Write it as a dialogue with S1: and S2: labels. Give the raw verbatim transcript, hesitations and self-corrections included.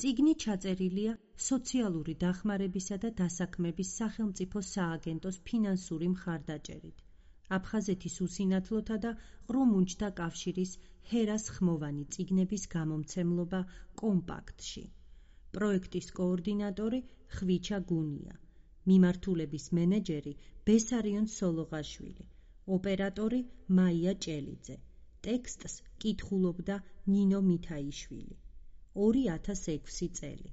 S1: წიგნი ჩაწერილია სოციალური დახმარებისა და დასაქმების სახელმწიფო სააგენტოს ფინანსური მხარდაჭერით, აფხაზეთის უსინათლოთა და ყრუ მუნჯთა კავშირის ჰერას ხმოვანი წიგნების გამომცემლობა კომპაქტში. პროექტის კოორდინატორი ხვიჩა გუნია, მიმართულების მენეჯერი ბესარიონ სოლოღაშვილი, ოპერატორი მაია ჭელიძე, ტექსტს კითხულობდა ნინო მითაიშვილი. ორი ათას ექვსი წელი.